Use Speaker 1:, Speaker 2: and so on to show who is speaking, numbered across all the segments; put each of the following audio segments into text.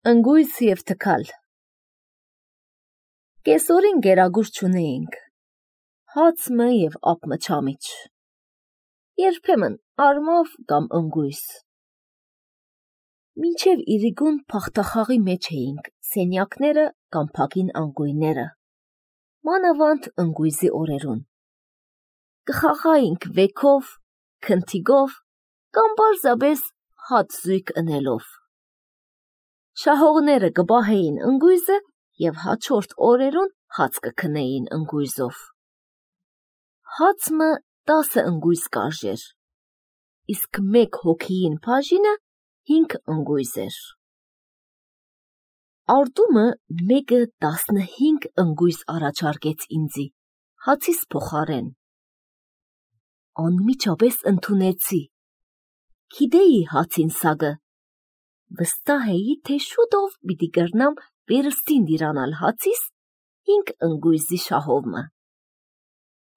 Speaker 1: Ընգույզ և թքալ։ Կեսօրին գերագուր չունեինք, հացմը և ապմը չամիչ, երբեմն արմավ կամ ընգույզ։ Մինչև իրիկուն փախտախաղի մեջ էինք սենյակները կամ փակին անգույները, մանավանդ ընգույզի օրերուն։ Կխաղայինք վեքով, քնթիգով կամ պարզապես հաց զույգ ընելով։ Շահողները կպահեին ընգույզը և հաջորդ օրերուն հաց կքնեին ընգույզով։ Հացմը 10 ընգույզ կարժեր, իսկ մեկ հոգիին բաժինը 5 ընգույզ էր։ Արտումը մեկը 15 ընգույզ առաջարկեց ինձի, հացիս փոխարեն։ Անմիջապես ընդունեցի, գիտեի հացին սագը, վստահ էի, թե շուտով պիտի կրնամ վերստին դիրանալ հացիս 5 ընգույզի շահովմը։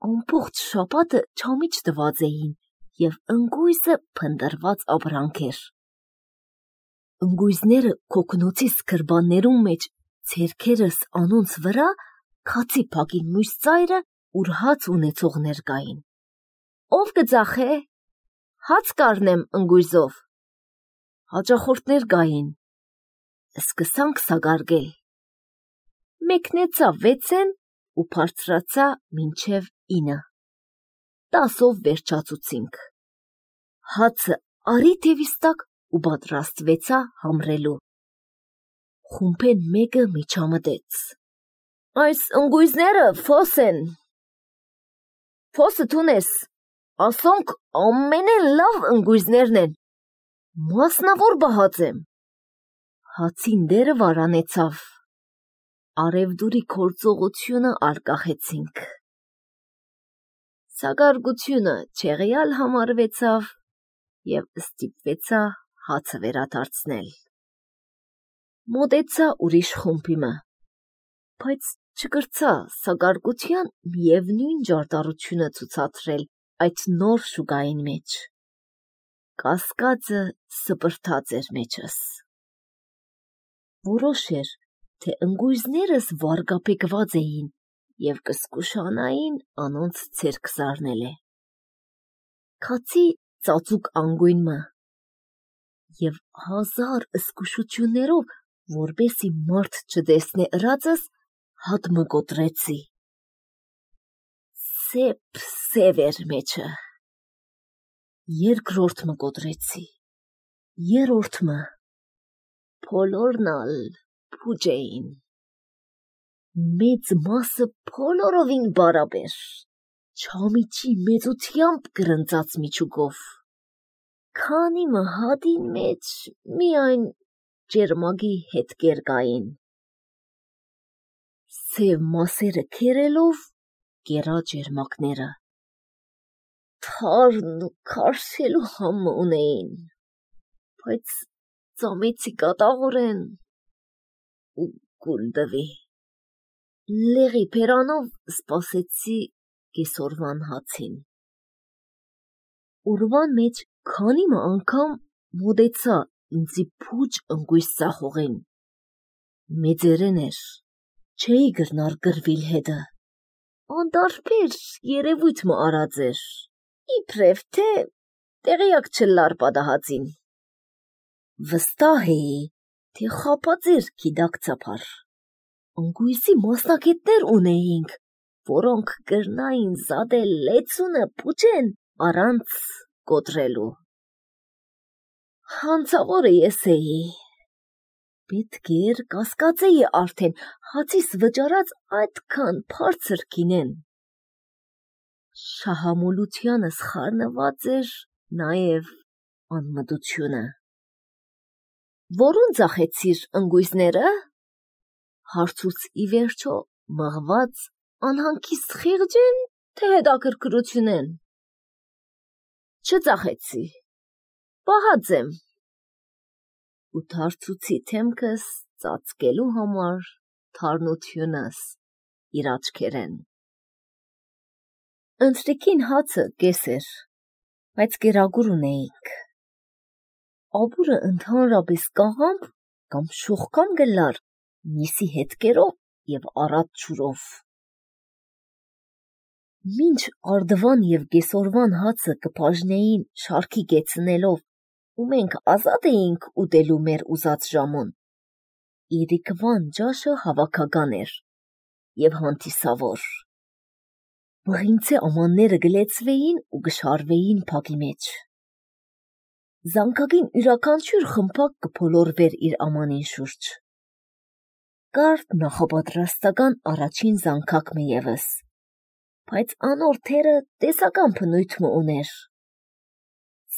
Speaker 1: Ամբողջ շաբաթը չամիչ տված էին և ընգույզը փնտրված ապրանք էր։ Ընգույզները քոքնոցիս գրբաններում մեջ ձեռքերս անոնց վրա քացի փակին մույս ծայրը, ուր հաց ունեցողներ կային։ Ով կծախե, հաց կառնեմ ընգույզով։ Հաճախորդներ կային։ Սկսանք սագարգել։ Մեկնեցա 6-ն ու բարձրացա մինչև 9։ 10-ով վերջացուցինք։ Հացը արի թևիս տակ ու պատրաստվեցա համրելու։ Խումբեն մեկը միջամտեց. «Այս ընգույզները ֆոս են»։ «Ֆոսը թունես, ասոնք ամենեն լավ ընգույզներն են, մասնավոր բահած եմ»։ Հացին դերը վարանեցավ, արևդուրի գործողությունը արկախեցինք։ Սագարգությունը չեղյալ համարվեցավ և ստիպվեցա հացը վերադարձնել։ Մոտեցա ուրիշ խումբիմը, բայց չկրցա սագարգության միևնույն ջարդարությունը ցուցադրել այդ նոր շուկային մեջ։ Կասկածը սպրտաց էր մեջս։ Որոշ էր, թե ընգույզներս վարկապեկված էին և կզգուշանային անոնց ձեռք զարնելը։ Քացի ծածուկ անգույնը և 1000 զգուշություններով, որպեսզի մարդ չտեսնե ըրածս, հատմը կոտրեցի։ Սև էր մեջը։ Երկրորդը կոտրեցի, երրորդը, բոլորն ալ փուջ էին։ Մեծ մասը բոլորովին բարաբեր, չամիչի մեծությամբ գրնծած միջուկով։ Քանի հատին մեջ միայն ճերմակի հետքեր կային։ Սև մասերը քերելով կերա ճերմակները։ Թարն ու քարշելու համը ունեին, բայց ծամեցի կատաղորեն ու կուլ տվի։ Լեղի բերանով սպասեցի կեսօրվան հացին։ Օրվան մեջ քանի անգամ մոտեցա ինձի փուջ ընգույզ ծախողին։ Մեծերեն էր, չէի գրնար գրվիլ հետը։ Անդարբեր երևույթ մը արած էր, իբրև թե տեղյակ չլար պատահածին։ Վստահ էի, թե խաբած էր գիտակցաբար։ Ընգույզի մասնակետներ ունեինք, որոնք կրնային զատել լեցունը փուջեն առանց կոտրելու։ Հանցավորը ես էի։ Պետք էր կասկածեի արդեն հացիս վճարած այդքան բարձր գինեն։ Շահամոլությանս խառնված էր նաև անմտությունը։ Որուն ծախեցիր ընգույզները, հարցուց ի վերջո մղված անհանգիստ խիղճեն, թե հետաքրքրությունեն։ Չծախեցի, պահած եմ։ Ու դարձուցի դեմքս ծածկելու համար թարնությունս իր աչքերեն։ Ընթրիքին հացը կես էր, բայց կերագուր ունեինք։ Ապուրը ընդհանրապես կաղամբ կամ շողքան գլար, միսի հետքերով և առատ ջուրով։ Մինչ արդվան և կեսօրվան հացը կբաժնեին շարքի կեցնելով, ու մենք ազատ էինք ուտելու մեր ուզած ժամուն, իրիկվան ջաշը հավաքական էր և հանդիսավոր։ Բղինցե ամանները գլեցվեին ու գշարվեին փակի մեջ։ Զանգակին յուրաքանչյուր խմբակ կփոլորվեր իր ամանին շուրջ։ Կար նախապատրաստական առաջին զանգակը ևս, բայց անոր թերը տեսական բնույթ ուներ։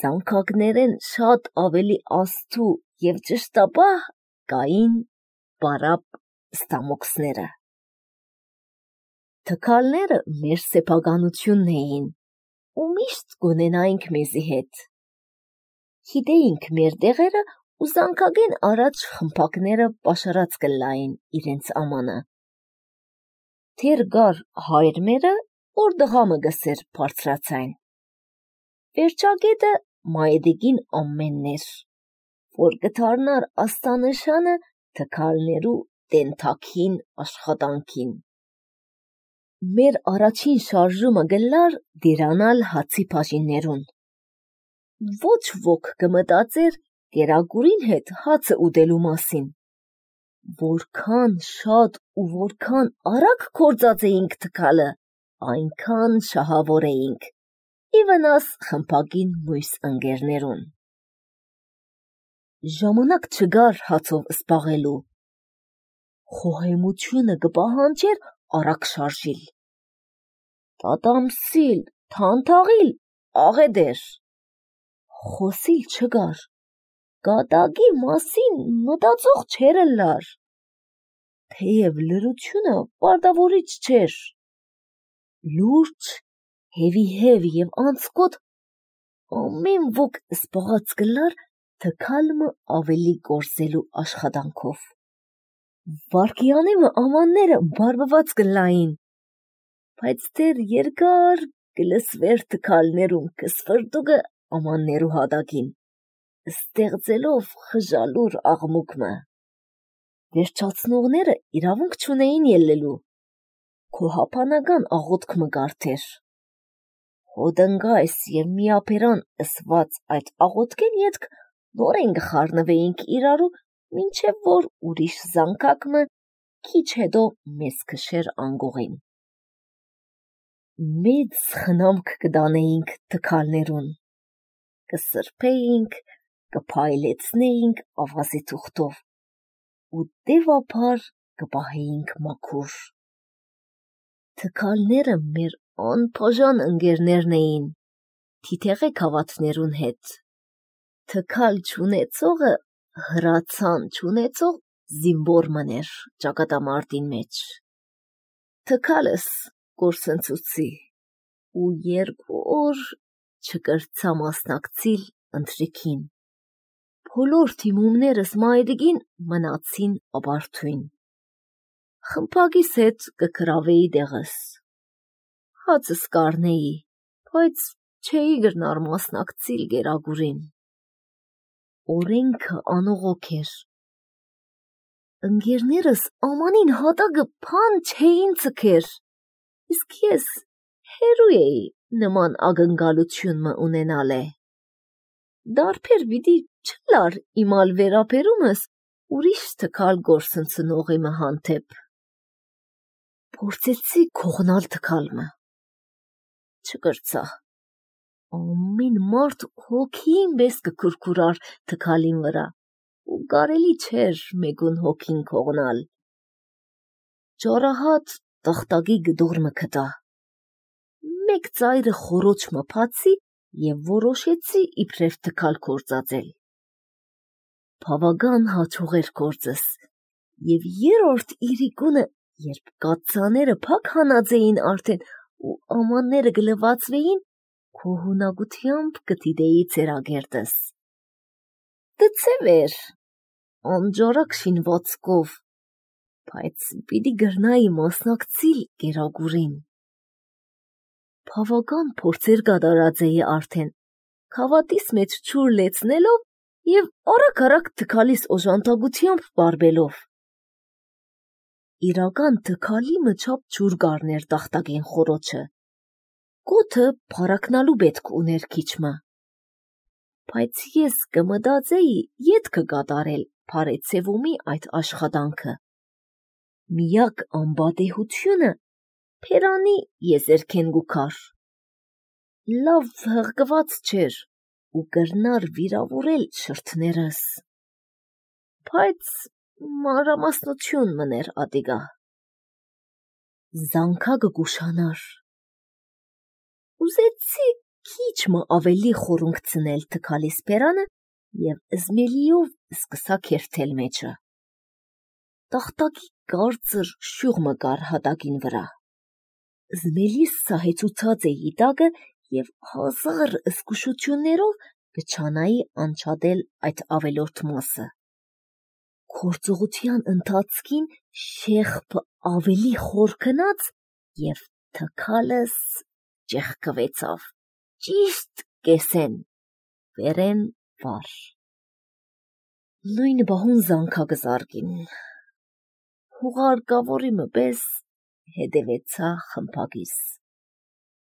Speaker 1: Զանգակներեն շատ ավելի աստու և ճշտապահ կային պարապ ստամոքսները։ Թքալները մեր սեփականությունն էին ու միշտ կունենայինք մեզի հետ։ Գիտեինք մեր դեղերը ու զանգակեն առաջ խմբակները պաշարած կլային իրենց ամանը։ Թեր գար հայրմերը, որ դղամը գսեր բարձրացայն։ Վերջագետը մայդիկին ամենն էր, որ կդառնար աստանշանը թքալներու տենթակին աշխատանքին։ Մեր առաջին շարժումը գլար դիրանալ հացի բաժիններուն։ Ոչ ոք կմտածեր կերակուրին հետ հացը ուտելու մասին։ Որքան շատ ու որքան արագ կործած էինք թքալը, այնքան շահավոր էինք, ի վնաս խմբակին մույս ընկերներուն։ Ժամանակ չգար հացով զբաղելու։ Խոհեմությունը կպահանջեր արագ շարժիլ։ Տատամսիլ, թանթաղիլ, աղեդեր։ Խոսիլ չգար, կատակի մասին մտածող չեր լար։ Թեև լրությունը պարտավորիչ չէր։ Լուրջ, հևիհև և անցկոտ ամեն ոք զբաղած կլար թքալմը ավելի կորզելու աշխատանքով։ Վարկյանեմը ամանները բարբված կլային, բայց դեր երկար կլսվեր թքալներում կսվրտուկը ամաններու հատակին, ստեղծելով խժալուր աղմուկը։ Վերջացնողները իրավունք չունեին ելլելու, քոհապանական աղոթքը կարդեր։ Հոդնգայս և միապերան ըսված այդ աղոթքեն ետք նորեն գխառնվեինք իրարու, մինչև որ ուրիշ զանգակը քիչ հետո մեզ քշեր անգողին։ Մեծ խնամք կտանեինք թքալներուն, կսրբեինք, կփայլեցնեինք ավազի թուղթով ու դեպաբար կպահեինք մաքուր։ Թքալները մեր անբաժան ընկերներն էին, թիթեղե քավաթներուն հետ։ Թքալ չունեցողը հրացան չունեցող զինվոր մներ ճակատամարտին մեջ։ Թքալս կորսնցուցի ու 2 օր չկրցա մասնակցիլ ընթրիքին։ Բոլոր թիմումներս մայրիկին մնացին ապարդույն։ Խմբակիս հետ կգրավեի դեղս։ Հացս կարնեի, բայց չէի գրնար մասնակցիլ գերագուրին։ Օրենքը անողոք էր։ Ընկերներս ամանին հատակը փան չէին ցքեր, իսկ ես հերու էի նման ակնկալություն ունենալե։ Դարբեր պիտի չլար իմալ վերապերումս ուրիշ թքալ գործընծնողի հանդեպ։ Փորձեցի քողնալ թքալը։ Չկրցա։ Ամեն մարդ հոգին պես կքուրքուրար թքալին վրա ու կարելի չէր մեգուն հոգին քողնալ։ Ճարահատ տախտակի գդորմը կտա։ Մեկ ծայրը խորոչ մփացի և որոշեցի իբրև թքալ կործածել։ Բավական հաջող էր գործս և երրորդ իրիկունը, երբ կաթսաները փակ հանած էին արդեն ու ամանները գլվածվեին, քոհունակությամբ կդիտեի ծերագերտս։ Դցև էր, անջարակ շինվածքով, բայց պիտի գրնայի մասնակցիլ գերագուրին։ Բավական փորձեր կատարած էի արդեն, քավատիս մեջ ջուր լեցնելով և արագ-արագ թքալիս օժանդակությամբ բարբելով։ Իրական թքալի մչափ ջուր գառներ տախտակին խորոչը, գոթը փարակնալու պետք ուներ քիչմը, բայց ես կմտածեի ետքը կատարել Փարեցևոմի այդ աշխատանքը։ Միակ անբատեհությունը Փերանի եզերքեն գուքար։ Լավ հղկված չէր ու կրնար վիրավորել շրթներս, բայց մանրամասնություն մներ ատիգա։ Զանգակը գուշանար։ Ուզեցի քիչմը ավելի խորունկ ցնել թքալիս Փերանը և զմելիով սկսա քերթել մեջը։ Տախտակի կարծր շյուղ կար հատակին վրա։ Զմելիս սահեցուցած էի տակը և հազար զգուշություններով կչանայի անջատել այդ ավելորդ մասը։ Գործողության ընթացքին շեղբը ավելի խոր քնած և թքալս ճեղքվեցավ, ճիշտ կեսեն, վերեն վար։ Նույն բահուն զանգակը զարկին։ Հուղարկավորի պես հետևեցա խմբակիս։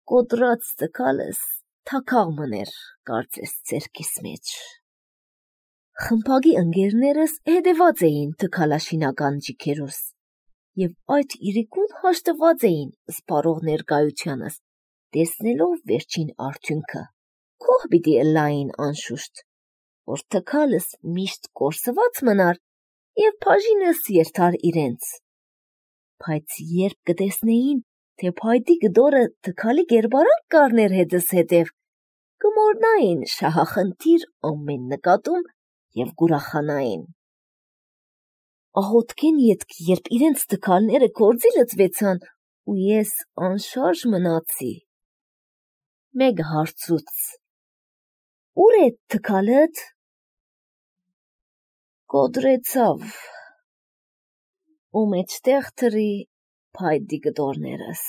Speaker 1: Կոտրած թքալս թաքաղ մներ կարծես ձեռքիս մեջ։ Խմբակի ընկերներս հետևած էին թքալաշինական ջիքերուս և այդ իրիկուն հաշտված էին սպառող ներկայությանս, տեսնելով վերջին արդյունքը։ Քող պիտի ըլլային անշուշտ, որ թքալս միշտ կորսված մնար և բաժինս երթար իրենց, բայց երբ կտեսնեին, թե փայտի գդորը թքալի կերպարանք կառներ հետս հետև, կմոռնային շահախնդիր ամեն նկատում և կուրախանային։ Աղոթքեն ետք, երբ իրենց թքալները գործի լծվեցան ու ես անշարժ մնացի, մեկ հարցուց. «Ուր է թքալդ»։ Կոտրեցավ ու մեջտեղ թրի փայտի գդորներս։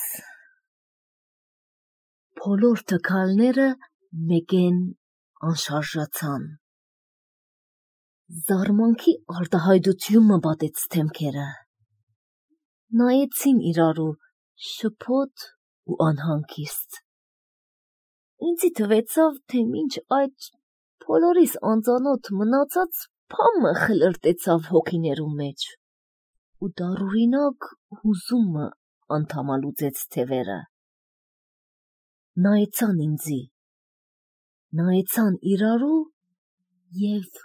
Speaker 1: Բոլոր թքալները մեկեն անշարժացան։ Զարմանքի արտահայտություն պատեց թեմքերը։ Նայեցին իրարու շփոթ ու անհանգիստ։ Ինձի թվեցավ, թե մինչ այդ բոլորիս անծանոթ մնացած բամը խլրտեցավ հոգիներու մեջ ու դառուրինակ հուզումը անդամալուծեց թևերը։ Նայեցան ինձի, նայեցան իրարու և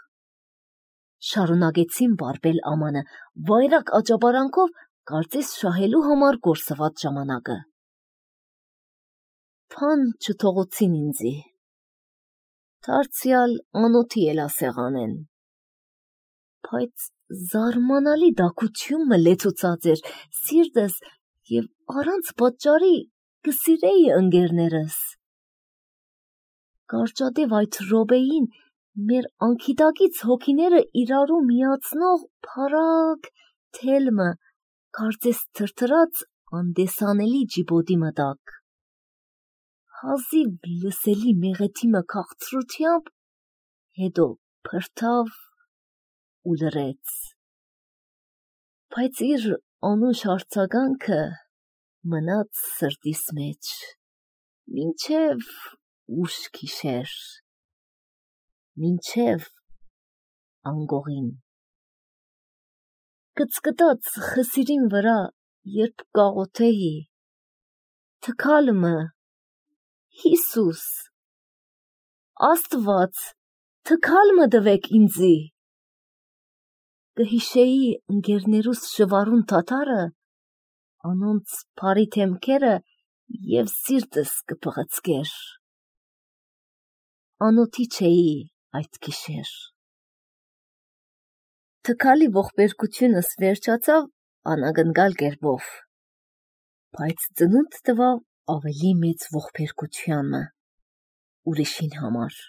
Speaker 1: շարունակեցին բարբել ամանը, վայրակ աճապարանքով, կարծես շահելու համար կորսված ժամանակը։ Բան չթողոցին ինձի, դարձյալ անոթի էլա սեղանեն, բայց զարմանալի դակություն մը լեցուցած էր սիրտս և առանց պատճառի կսիրեի ընկերներս։ Կարճատև այդ րոպեին մեր անքիդակից հոգիները իրարու միացնող փարագ թելմը կարծես թրթրաց անդեսանելի ջիբոտի մտակ։ Հազիվ լսելի մեղեթի մը քաղցրությամբ, հետո փրթավ ու լռեց, բայց իր անուշ արձագանքը մնաց սրտիս մեջ, մինչև ուշ գիշեր, մինչև անգողին։ Կծկտած խսիրին վրա, երբ կաղոթեի, թքալմը, Հիսուս, Աստված, թքալմը տվեք ինձի, կհիշեի ընկերներուս շվարուն թաթարը, անոնց բարի թեմքերը և սիրտս կփղծկեր։ Անոթի չէի այդ գիշեր։ Թքալի ողբերգությունս վերջացավ անագնգալ կերպով, բայց ծնունդ տվավ ավելի մեծ ողբերգությանը, ուրիշին համար։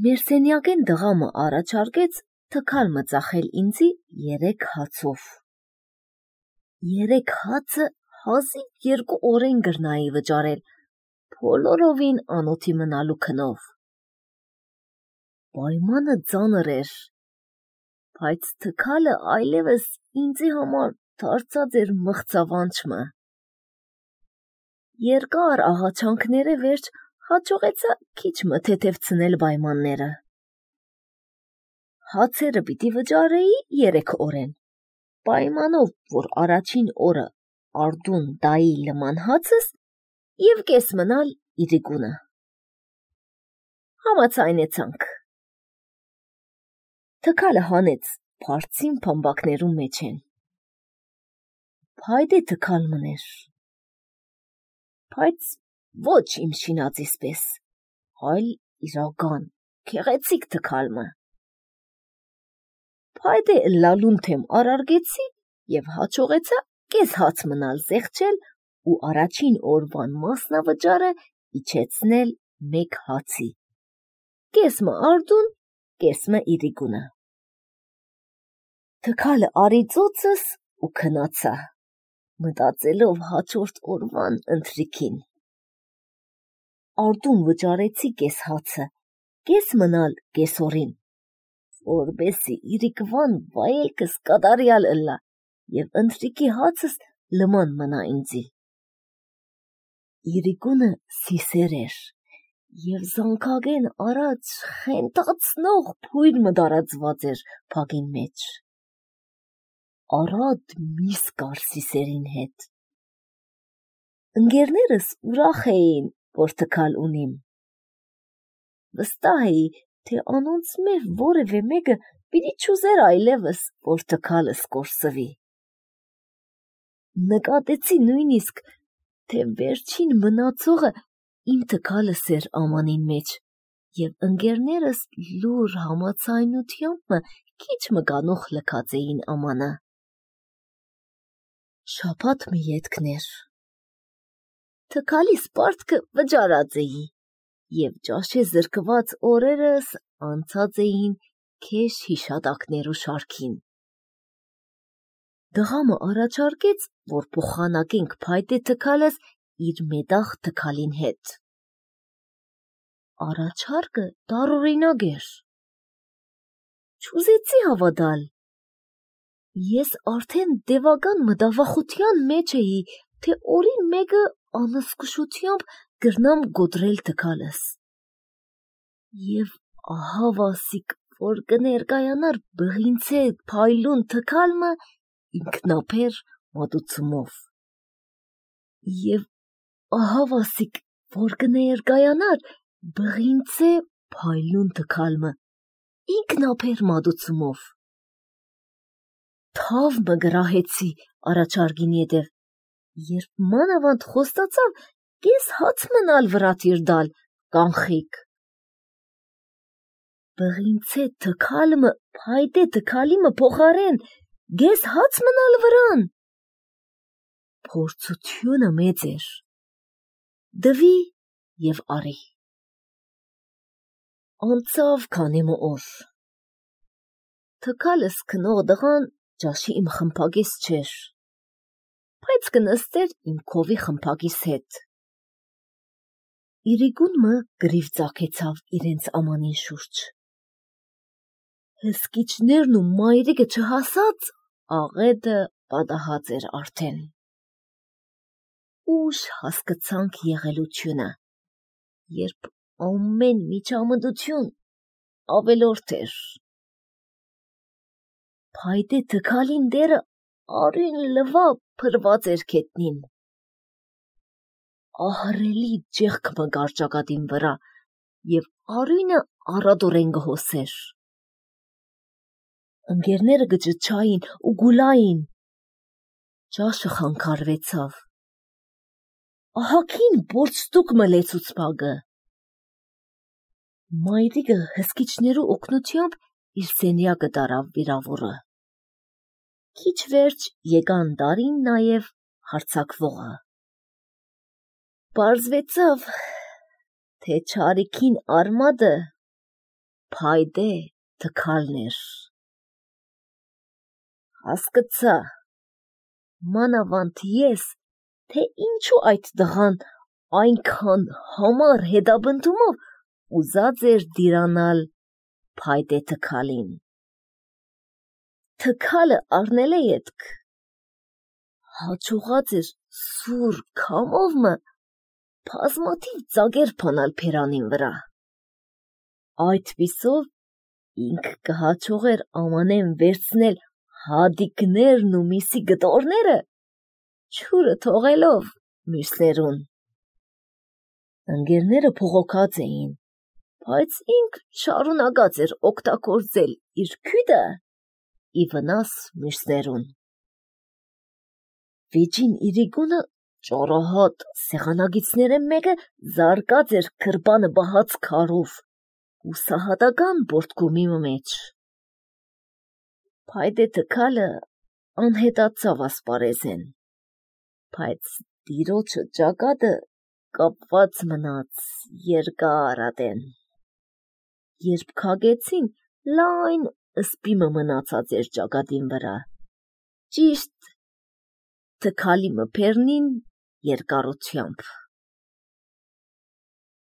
Speaker 1: Մեր սենյակեն դղամը առաջարկեց թքալմը ծախել ինձի 3 հացով։ 3 հացը հազիվ 2 օրեն գրնայի վճարել, բոլորովին անոթի մնալու քնով։ պայմանը ծանր էր, բայց թքալը այլևս ինձի համար դարձած էր մղձավանջը։ Երկար աղաչանքները վերջ հաջողեցա քիչ մթեթևցնել պայմանները։ Հացերը պիտի վճարեի 3 օրեն, պայմանով, որ առաջին օրը արդուն դայի լման հացս և կես մնալ իրիկունը։ Համաձայնեցանք։ Թքալը հանեց բարձին փամբակներում մեջ են։ Փայդե թքալ մներ, բայց ոչ իմ շինածիս պես, այլ իրական, քեղեցիկ թքալը։ Փայդե լալուն թեմ արարգեցի և հաջողեցա կես հաց մնալ զեղչել ու առաջին օրվան մասնավճարը իջեցնել 1 հացի, կեսմը արդուն, կեսմը իրիկունը։ Թքալը արի ծոցս ու քնացա, մտածելով հաջորդ օրվան ընթրիքին։ Արդուն վճարեցի կես հացը, կես մնալ կեսօրին, որպեսզի իրիկվան վայելքս կատարյալ ըլլա և ընթրիքի հացս լման մնա ինձի։ Իրիկունը սիսեր էր և զանգագեն առաջ խենթացնող փույր մտարածված էր փագին մեջ։ Առատ միս կար սիսերին հետ։ Ընկերներս ուրախ էին, որ թքալ ունիմ։ Վստահ էի, թե անոնց մեջ որևէ մեկը պիտի չուզեր այլևս, որ թքալս կորսվի։ Նկատեցի նույնիսկ, թե վերջին մնացողը իմ թքալս էր ամանին մեջ, և ընկերներս լուր համաձայնությամբ քիչ մկանուխ լքած էին ամանը։ Շաբաթ մի ետքն էր։ Թքալիս պարտքը վճարած էի, և ճաշե զրկված օրերս անցած էին քեշ հիշատակներու շարքին։ Դղամը առաջարկեց, որ փոխանակենք փայտե թքալս իր մետաղ թքալին հետ։ Առաջարկը տարօրինակ էր։ Չուզեցի հավատալ։ Ես արդեն տևական մտավախության մեջ էի, թե օրին մեկը անզգուշությամբ գրնամ գոտրել թքալս։ Եվ ահա վասիկ, որ կներկայանար բղինցե փայլուն թքալը ինքնաբեր մատուցումով։ Եվ ահա վասիկ, որ կներկայանար բղինցե փայլուն թքալը ինքնաբեր մատուցումով։ Թավ մը գրահեցի առաջարկին ետև, երբ մանավանդ խոստացավ կես հաց մնալ վրատիր դալ կանխիկ։ Բղինցե թքալը փայտե թքալիմը փոխարեն գես հաց մնալ վրան։ Փորձությունը մեծ էր։ Դվի և արի։ Անցավ քանի օր։ Թքալս քնող դղան ճաշի իմ խմբագիս չէր, բայց կնստեր իմ քովի խմբագիս հետ։ Իրիկունը գրիվ ծագեցավ իրենց ամանին շուրջ։ Հսկիչներն ու մայրիկը չհասած, աղետը պատահած էր արդեն։ Ուշ հասկացանք եղելությունը, երբ ամեն միջամտություն ավելորդ էր։ Փայտե թքալին դերը արյուն լվա փրված էր քետնին։ Ահռելի ջեղք մը կար ճակատին վրա, և արյունը առատորեն գհոսեր։ Ընկերները գճչային ու գուլային։ Ճաշը խանգարվեցավ։ Ահագին բորձտուկ մը լեցուց փագը։ Մայրիկը հսկիչներու օգնությամբ իր սենյակը տարավ վիրավորը։ Քիչ վերջ եկան տարին նաև հարձակվողը։ Պարզվեցավ, թե չարիքին արմատը փայտե թքալն էր։ Հասկացա, մանավանդ ես, թե ինչու այդ տղան այնքան համառ հետապնդումով ուզած էր դիրանալ փայտ է թքալին։ Թքալը առնել է ետք, հաչուղած էր սուր քամովը բազմաթիվ ծագեր փանալ փերանին վրա։ Այդ պիսով ինք կհաջողեր ամանեն վերցնել հադիկներն ու միսի գտորները, ջուրը թողելով մյուսներուն։ Ընկերները փողոքած էին, բայց ինք շարունակած էր օգտագործել իր քույտը ի վնաս մյուսներուն։ Վեճին իրիկունը ճարահատ սեղանագիցներեն մեկը զարկած էր գրպանը բահած քարով ու սահատական բորդկումի մեջ։ Փայտե թքալը անհետացավ ասպարեզեն, բայց տիրոջը ճակատը կապված մնաց երկար ատեն։ Երբ քագեցին, լայն սպիմը մնացած էր ճակատին վրա, ճիշտ թքալի մփերնին երկարությամբ։